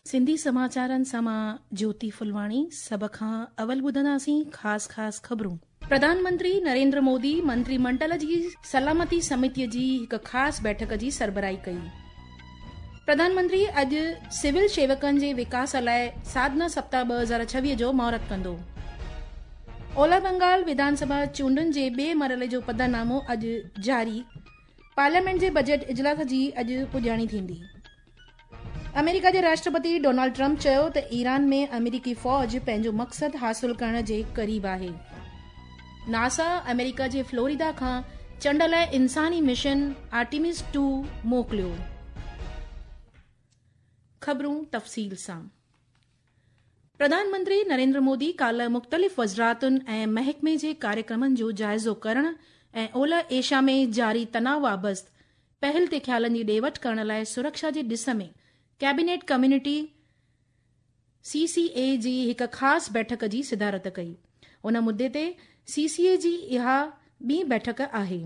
سنڌي سماچارن سان مان جيوتي ڦلواڻي سڀ کان اول ٻڌنداسين خاص خاص خبرون. پرڌان منتري نريندر مودي منتري منڊل جي سلامتي سمتي جي هڪ خاص بيٺڪ جي سربراهي ڪئي. پرڌان منتري اڄ سول شيوڪن جي وڪاس لاء ساڌنا سپتاهه 2026 جو مهورت ڪندو. اولهه بنگال وڌان سڀا چونڊن جي ٻئي مرحلي جو پڌرنامو اڄ جاري. پارليامينٽ جي بجيٽ اجلاس جي اڄ پڄاڻي ٿيندي. آمريڪا جي راشٽرپتي ڊونالڊ ٽرمپ چيو ته ايران ۾ آمريڪي فوج پنهنجو مقصد حاصل ڪرڻ جي قريب آهي. ناسا آمريڪا جي فلوريڊا کان چنڊ لاء انساني مشن آرٽيمس 2 موڪليو. خبرون تفصيل سان. پرڌان منتري نريندر مودي ڪالهه مختلف وزارتن ۽ محڪمي جي ڪاريڪرمن جو جائزو ڪرڻ ۽ اولهه ايشيا ۾ جاري تناء وابست پهل تي خيالن جي ڏي وٺ ڪرڻ لاء سرڪشا جي ڏس ۾ ڪيبينيٽ ڪميونٽي، سي سي اي، جي هڪ خاص بيٺڪ جي صدارت ڪئي. ان مدي تي سي سي اي جي اها ٻي بيٺڪ آهي.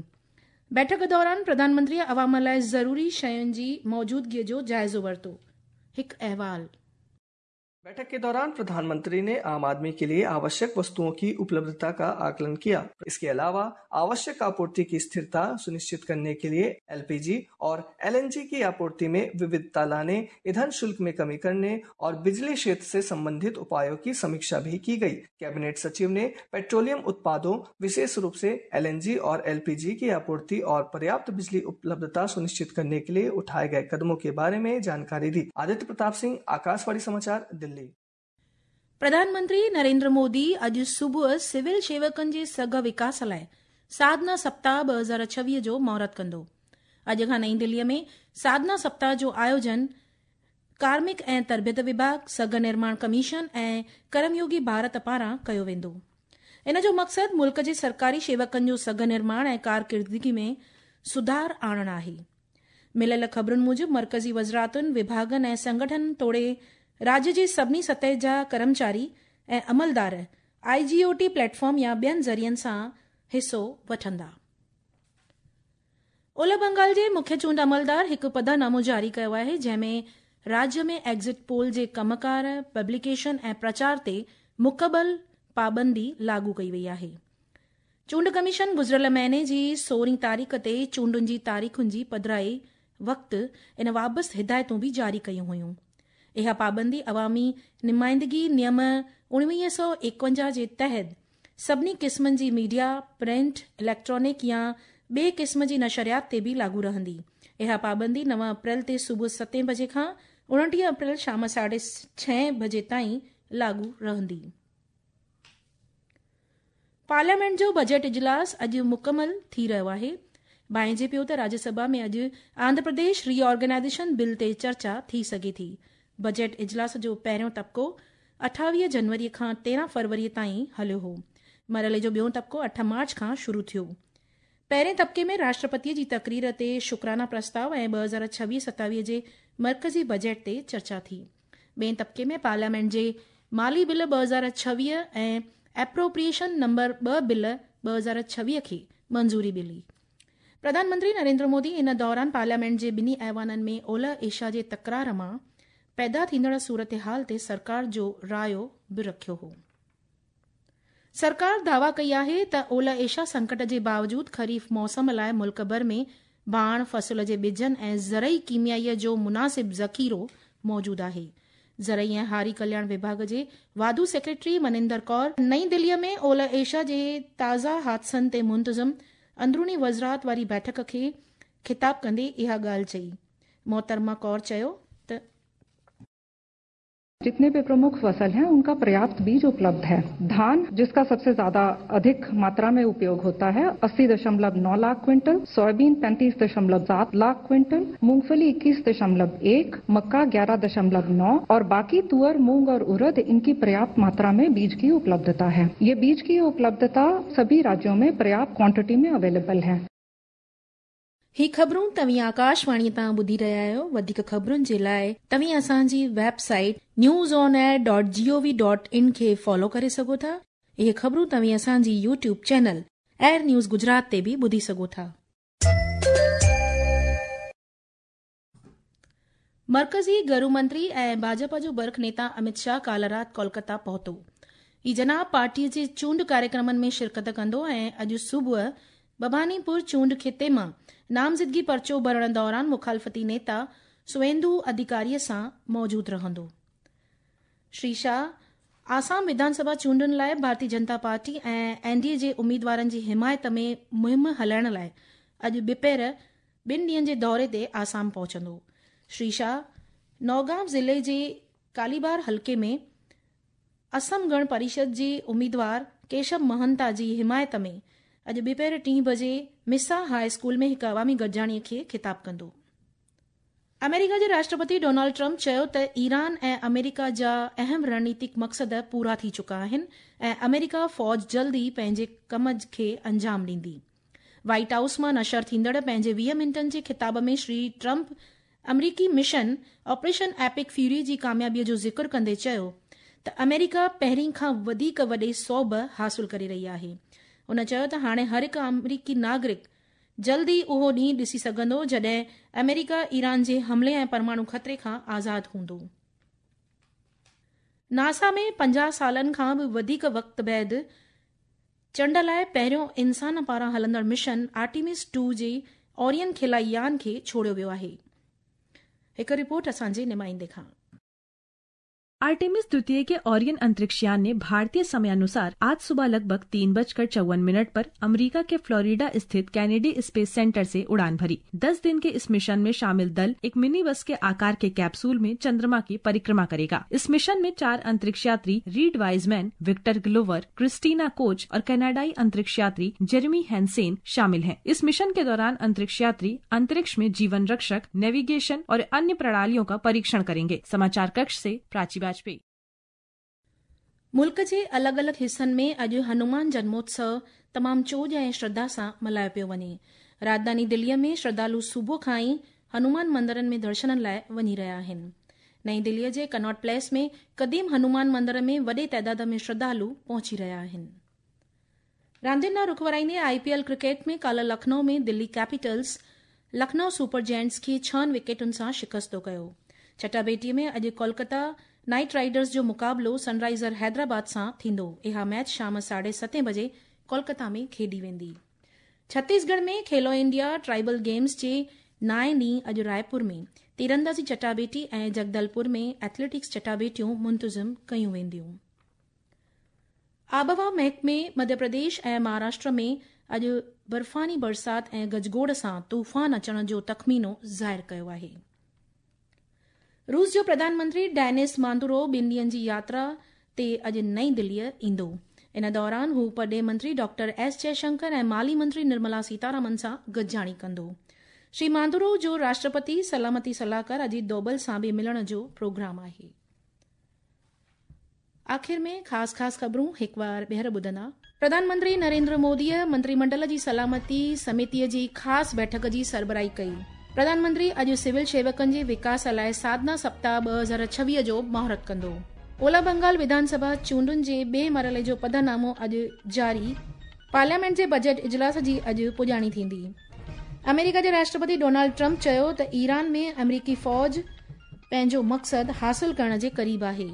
بيٺڪ دوران پرڌان منتري عوام لاء ضروري شين جي موجودگي جو جائزو ورتو. هڪ احوال. बैठक के दौरान प्रधानमंत्री ने आम आदमी के लिए आवश्यक वस्तुओं की उपलब्धता का आकलन किया। इसके अलावा आवश्यक आपूर्ति की स्थिरता सुनिश्चित करने के लिए एलपीजी और एलएनजी की आपूर्ति में विविधता लाने, ईंधन शुल्क में कमी करने और बिजली क्षेत्र से संबंधित उपायों की समीक्षा भी की गई। कैबिनेट सचिव ने पेट्रोलियम उत्पादों, विशेष रूप से एलएनजी और एलपीजी की आपूर्ति और पर्याप्त बिजली उपलब्धता सुनिश्चित करने के लिए उठाए गए कदमों के बारे में जानकारी दी। आदित्य प्रताप सिंह, आकाशवाणी समाचार, दिल्ली। प्रधान मंत्री नरेंद्र मोदी अॼु सुबुह सिविल शेवकनि जे सघ विकास लाइ साधना सप्ताह 2026 जो मुहूर्त कंदो। अॼु खां नई दिल्लीअ में साधना सप्ताह जो आयोजन कार्मिक ऐं तरबियत विभाग, सघ निर्माण कमीशन ऐं ڪرميوگي ڀارت پاران ڪيو ويندو. ان جو مقصد ملڪ جي سرڪاري شيوڪن جو سگهه نرماڻ ۽ ڪارڪردگي ۾ سڌار آڻڻ آهي. مليل خبرن موجب مرڪزي وزارتن، وڀاڳن ۽ سنگٺنن توڙي راڄ جي سڀني سطح جا ڪرمچاري ۽ عملدار I G O T platform يا ٻين ذريعن سان حصو وٺندا. اولهه بنگال جي مکيه چونڊ عملدار هڪ پڌرنامو جاري ڪيو آهي جنهن ۾ راڄ ۾ ايگزٽ پول جي ڪم ڪار، پبليڪيشن ۽ پرچار تي مڪمل پابندي لاڳو ڪئي وئي آهي. چونڊ ڪميشن گذريل مهيني جي سورهين تاريخ تي چونڊن جي تاريخن جي پڌرائي وقت ان وابست هدايتون به جاري ڪيون هيون. اها پابندي عوامي نمائندگي نيم 1951 جي تحت سڀني قسمن جي ميڊيا، پرنٽ، اليڪٽرانڪ يا ٻئي قسم جي نشريات تي به لاڳو رهندي. اها پابندي 9 اپريل تي صبح ستين بجي کان 29 اپريل شام ساڍي ڇهين بجي تائين لاڳو رهندي. پارليامينٽ جو بجيٽ اجلاس اڄ مڪمل ٿي رهيو آهي. ڀانئجي پيو ته راجيه سڀا ۾ اڄ آنڌرا پرديش ري آرگنائيزيشن بل تي چرچا ٿي سگهي ٿي. بجيٽ اجلاس جو پهريون طبقو 28 جنوري کان 13 فروري تائين هليو هو. مرحلي جو ٻيون طبقو 8 مارچ کان شروع ٿيو. پهرين طبقي ۾ راشٽرپتي جي تقرير تي شڪرانا پرستاء ۽ 2026-27 جي مرڪزي بجيٽ تي چرچا ٿي. ٻئين طبقي ۾ پارليامينٽ جي مالي بل 2026 ۽ ايپروپريئيشن نمبر 2 بل 2026 کي منظوري ملي. پرڌان منتري نريندر مودي ان دوران پارليامينٽ جي ٻنهي ايوانن ۾ اولهه ايشيا جي تڪرار مان پيدا ٿيندڙ صورتحال تي سرڪار جو رايو به رکيو هو. سرڪار دعويٰ ڪئي آهي ته اولهه ايشيا سنڪٽ جي باوجود خريف موسم لاء ملڪ ڀر ۾ ڀاڻ، فصل جي ٻجن ۽ زرعي ڪيميائي جو مناسب ذخيرو موجود آهي. زرعي ۽ هاري ڪلياڻ وڀاڳ جي واڌو سيڪريٽري منندر ڪور نئين دهلي ۾ اولهه ايشيا جي تازا حادثن تي منتظم اندروني وزارت واري بيٺڪ کي خطاب ڪندي اها ڳالهه چئي. محترمه ڪور چيو ته. जितने भी प्रमुख फसल हैं उनका पर्याप्त बीज उपलब्ध है। धान जिसका सबसे ज्यादा अधिक मात्रा में उपयोग होता है 80.9 लाख क्विंटल, सोयाबीन 35.7 लाख क्विंटल, मूंगफली 21.1, मक्का 11.9 और बाकी तुअर, मूंग और उड़द इनकी पर्याप्त मात्रा में बीज की उपलब्धता है। ये बीज की उपलब्धता सभी राज्यों में पर्याप्त क्वांटिटी में अवेलेबल है। هي خبرون توهين آڪاشواڻي تان ٻڌي رهيا آهيو. وڌيڪ خبرن جي لاء توهين اسان جي website news on air dot G O V dot in کي فالو ڪري سگهو ٿا. اهي خبرون توهين اسان جي YouTube channel AIR news Gujarat تي به ٻڌي سگهو ٿا. مرڪزي گهرو منتري ۽ ڀاجپا جو برک نيتا امت شاهه ڪالهه رات ڪولڪتا پهتو. هي جناب پارٽيء جي چونڊ ڪاريڪرمن ۾ شرڪت ڪندو ۽ اڄ صبح ڀباني پور چونڊ خطي مان نامزدگي پرچو ڀرڻ دوران مخالفتي نيتا سويندو اڌيڪاريء سان موجود رهندو. شري شاهه آسام وڌان سڀا چونڊن لاء Bharatiya Janata party ۽ N D A جي اميدوارن جي حمايت ۾ مهم هلائڻ لاء اڄ ٻپهر ٻن ڏينهن جي دوري تي آسام پهچندو. شري شاهه نوگائون ضلعي جي ڪاليبار حلقي ۾ اسم گڻ پريشد جي اميدوار ڪيشب مهنتا جي حمايت ۾ اڄ ٻپهر ٽين بجي مسا هاء اسڪول ۾ هڪ عوامي گڏجاڻي کي خطاب ڪندو. آمريڪا جي راشٽرپتي ڊونلڊ ٽرمپ چيو ته ايران ۽ آمريڪا جا اهم رڻنيتڪ مقصد پورا ٿي چڪا آهن ۽ آمريڪا فوج جلد ئي پنهنجي ڪم کي انجام ڏيندي. وائيٽ هائوس مان نشر ٿيندڙ پنهنجي 20 منٽن جي خطاب ۾ شري ٽرمپ آمريڪي مشن آپريشن ايپڪ فيوري جي ڪاميابي جو ذڪر ڪندي چيو ته آمريڪا پهرين کان وڌيڪ وڏي سوڀ حاصل ڪري رهي آهي. هن چيو ته هاڻي هر هڪ آمريڪي ناگرڪ جلد ئي اهو ڏينهن ڏسي سگهندو جڏهن آمريڪا ايران جي حملي ۽ پرماڻو خطري کان آزاد هوندو. ناسا ۾ 50 سالن کان به وڌيڪ وقت بعد چنڊ لاءِ پهريون انسان پاران هلندڙ مشن آرٽيمس 2 جي اورين خلائي يان کي ڇوڙيو ويو آهي. هڪ رپورٽ اسان جي نمائندي کان. आर्टेमिस द्वितीय के ओरियन अंतरिक्ष यान ने भारतीय समयानुसार आज सुबह लगभग 3:54 पर अमेरिका के फ्लोरिडा स्थित कैनेडी स्पेस सेंटर से उड़ान भरी। 10 दिन के इस मिशन में शामिल दल एक मिनी बस के आकार के कैप्सूल में चंद्रमा की परिक्रमा करेगा। इस मिशन में 4 अंतरिक्ष यात्री Reid Wiseman, Victor Glover, Christina Koch और कनाडाई अंतरिक्ष यात्री जेरेमी हैंसेन शामिल हैं। इस मिशन के दौरान अंतरिक्ष यात्री अंतरिक्ष में जीवन रक्षक, नेविगेशन और अन्य प्रणालियों का परीक्षण करेंगे। समाचार कक्ष से प्राची वाजपेयी। मुल्क जे अलॻि अलॻि हिसनि में अॼु हनुमान जन्मोत्सव तमामु चोॼ ऐं श्रद्धा सां मल्हायो पियो वञे। राजधानी दिल्लीअ में श्रद्धालु सुबुह खां ई हनुमान मंदिरनि में दर्शननि लाइ वञी रहिया आहिनि। नई दिल्लीअ जे कनॉट प्लेस में क़दीम हनुमान मंदिर में वॾे तादाद में श्रद्धालु पहुची रहिया आहिनि। रांदियुनि ॾांहुं रुख वराईंदे आईपीएल क्रिकेट में काल्ह लखनऊ में Delhi Capitals Lucknow super giants खे 6 विकेटुनि सां शिकस्तो कयो। चटाबेटीअ में अॼु कोलकाता नाइट राइडर्स जो मुक़ाबिलो सनराइज़र हैदराबाद सां थींदो। इहा मैच शाम 7:30 बजे कोलकाता में खेॾी वेंदी। छत्तीसगढ़ में खेलो इंडिया ट्राइबल गेम्स जे नाएं ॾींहुं अॼु रायपुर में तीरंदाज़ी चटाबेटी ऐं जगदलपुर में एथलेटिक्स चटाबेटियूं मुंतज़िम कयूं वेंदियूं। आबहवा महकमे मध्य प्रदेश ऐं महाराष्ट्र में अॼु बर्फ़ानी बरसाति ऐं गजगोड़ सां तूफ़ान अचण जो तख़मीनो ज़ाहिर कयो आहे। रूस जो प्रधानमंत्री डेनिस मांदुरो ॿिनि ॾींहंनि जी यात्रा ते अॼु नई दिल्लीअ ईंदो। इन दौरान हू परॾेह मंत्री डॉक्टर एस जयशंकर ऐं माली मंत्री निर्मला सीतारमन सां गॾिजाणी कंदो। श्री मांदुरो जो राष्ट्रपति सलामती सलाहकार अजीत डोभल सां बि मिलण जो प्रोग्राम आहे। आख़िर में ख़ासि ख़ासि ख़बरूं हिकु बार ॿीहर ॿुधंदा। प्रधानमंत्री नरेंद्र मोदीअ मंत्रिमंडल जी सलामती समितीअ जी ख़ासि बैठक जी सरबराही कई। प्रधानमंत्री अॼु सिविल सेवकनि जे विकास लाइ साधना सप्ताह 2026 जो मुहूर्त कंदो। ओला बंगाल विधानसभा चूंडुनि जे ॿिए मरहले जो पधरनामो अॼु जारी। पार्लियामेंट जे बजट इजलास जी अॼु पुॼाणी थींदी। अमेरिका जे राष्ट्रपति डोनाल्ड ट्रंप चयो त ईरान में अमेरिकी फ़ौज पंहिंजो मक़सदु हासिल करण जे क़रीब आहे।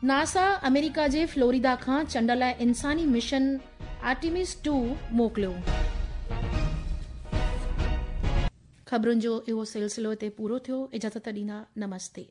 नासा अमेरिका जे फ्लोरिडा खां चंड लाइ इंसानी मिशन आर्टेमिस 2 मोकिलियो। ख़बरुनि जो इहो सिलसिलो हिते पूरो थियो। इजाज़त ॾींदा, नमस्ते।